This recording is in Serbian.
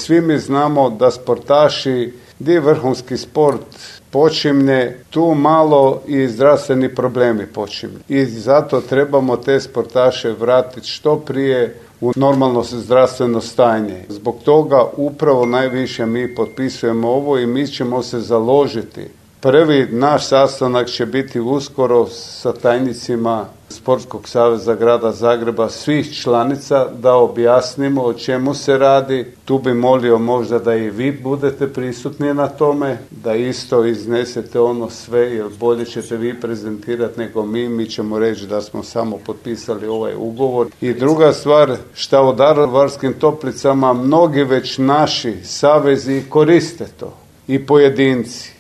svi mi znamo da sportaši, gdje je vrhunski sport počimne, tu malo i zdravstveni problemi počimne. I zato trebamo te sportaše vratiti što prije u normalno zdravstveno stanje. Zbog toga upravo najviše mi potpisujemo ovo i mi ćemo se založiti. Prvi naš sastanak će biti uskoro sa tajnicima Sportskog saveza grada Zagreba, svih članica, da objasnimo o čemu se radi. Tu bi molio možda da i vi budete prisutni na tome, da isto iznesete ono sve, jer bolje ćete vi prezentirati nego mi ćemo reći da smo samo potpisali ovaj ugovor. I druga stvar, šta u Daruvarskim Toplicama mnogi već naši savezi koriste to i pojedinci.